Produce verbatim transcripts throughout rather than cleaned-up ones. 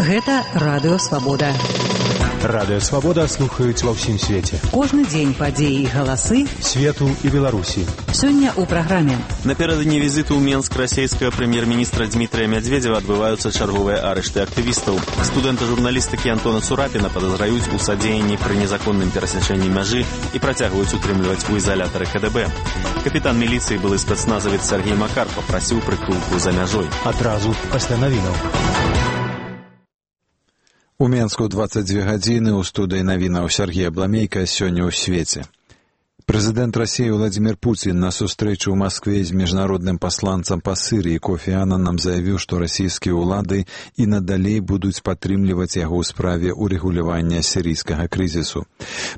Гэта Радыё Свабода. Радыё Свабода слухаюць ва ўсім свеце. Кожны дзень падзеі і галасы свету і Беларусі. Сёння ў праграме. Наперададні візіту ў Менск расійскага прэм'ер-міністра Дмітрия Медведева адбываюцца чарговыя арышты актывістаў. Студэнта журналістыкі Антона Цурапіна падазраюць у садзеянні пры незаконным перасячэнні мяжы і працягваюць утрымліваць у ізалятары ка дэ бэ. Капітан міліцыі, былы спецназавец Сергей Макар, папрасіў прытулку за мяжой. Адразу пасля навінаў. У Менску дваццаць дзве гадзіны, у студыі навінаў Сергей Абламейка, сёння ў свеце. Прэзідэнт Расіі Владзімір Пуцін на сустрэчу ў Маскве з міжнародным пасланцам па Сірыі Кофі Аннанам заявіў, што расійскія ўлады і надалей будуць падтрымліваць яго ў справе урэгулявання сірыйскага крызісу.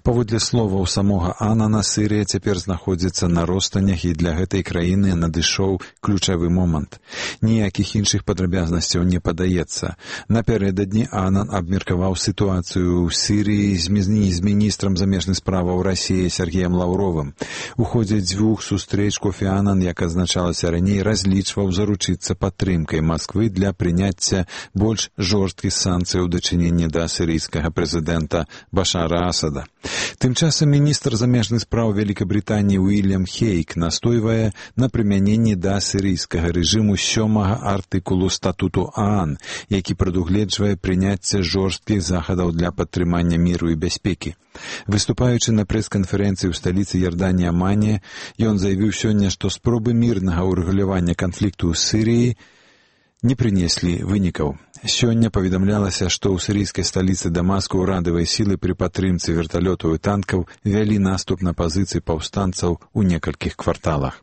Паводле словаў самога Аннана, Сірыя цяпер знаходзіцца на ростанях, і для гэтай краіны надышоў ключавы момант. Ніякіх іншых падрабязнасцяў не падаецца. Напярэдадні Аннан абмеркаваў сітуацыю ў Сірыі з міністрам замежных справаў Расіі Сергеем Лаўровым. У ходзе дзвюх сустрэч Кофі Аннан, як азначалася раней, разлічваў заручыцца падтрымкай Масквы для прыняцця больш жорсткіх санкцыяў у дачыненні да сірыйскага прэзідэнта Башара Асада. Тым часам міністр замежных спраў Вялікабрытаніі Уільям Хейк настойвае на прымяненні да сірыйскага рэжыму сёмага артыкулу статуту ААН, які прадугледжвае прыняцце жорсткіх захадаў для падтрымання міру і бяспекі. Выступаючы на прэс-канферэнцыі ў сталіцы Ярданіі Амане, ён заявіў сёння, што спробы мірнага ўрэгулявання канфлікту ў Сірыі не прынеслі вынікаў. Сёння паведамлялася, што ў сірыйскай сталіцы Дамаску ўрадавыя сілы пры падтрымцы верталётаў і танкаў вялі наступ на пазіцыі паўстанцаў у некалькіх кварталах.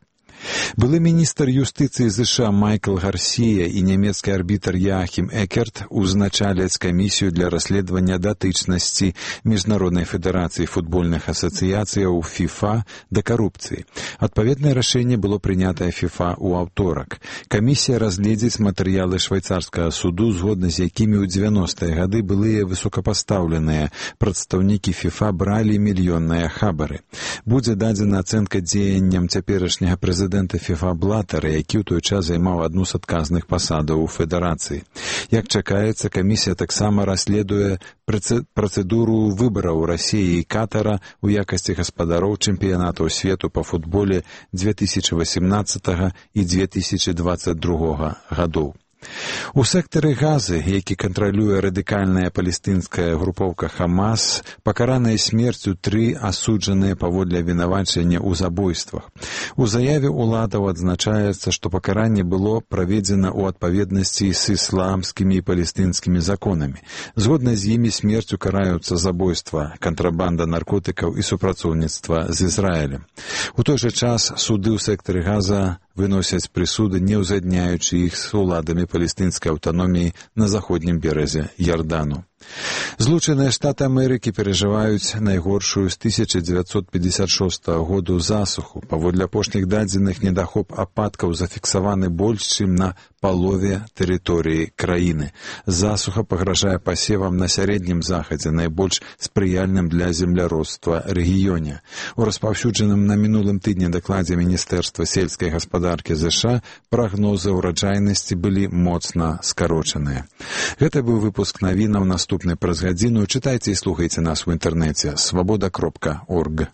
Былы міністр юстыцыі ЗША Майкл Гарсія і нямецкі арбітр Яахім Экерт узначаляць камісію для расследавання датычнасці Міжнароднай федэрацыі футбольных асацыяцыяў ФІФА да карупцыі. Адпаведнае рашэнне было прынятае ФІФА ў аўторак. Камісія разгледзіць матэрыялы швайцарскага суду, згодна з якімі ў дзевяностыя гады былыя высокапастаўленыя прадстаўнікі ФІФА бралі мільённыя хабары. Будзе дадзена ацэнка дзеянням цяперашняга прэзідэнта прэзідэнта ФІФА Блатара, які ў той час займаў адну з адказных пасадаў у федэрацыі. Як чакаецца, камісія таксама расследуе працэдуру выбараў Расіі і Катара у якасці гаспадароў чэмпіянатаў свету па футболе дзве тысячы васемнаццатага і дзве тысячы дваццаць другога гадоў. У сектары Газы, які кантралюе радыкальная палестынская групоўка Хамас, пакараныя смерцю тры асуджаныя паводле абвінавачання ў забойствах. У заяве ўладаў адзначаецца, што пакаранне было праведзена ў адпаведнасці з ісламскімі і палестынскімі законамі. Згодна з імі смерцю караюцца забойства, кантрабанда наркотыкаў і супрацоўніцтва з Ізраілем. У той жа час суды ў сектары Газа выносяць прысуды, не ўзадняючы іх з уладамі палестынскай аўтаноміі на заходнім беразе Ярдану. Злучаныя Штаты Амерыкі перажываюць найгоршую з тысяча дзевяцьсот пятьдесят шостага году засуху. Паводле апошніх дадзеных, недахоп ападкаў зафіксаваны больш, чым на палове тэрыторыі краіны. Засуха пагражае пасевам на сярэднім захадзе, найбольш спрыяльным для земляробства рэгіёне. У распаўсюджаным на мінулым тыдні дакладзе Міністэрства сельскай гаспадаркі ЗША прагнозы ўраджайнасці былі моцна скарочаныя. Гэта быў выпуск навінаў, наступны праз гадзіну. Чытайце і слухайце нас у інтэрнэце свабода кропка орг.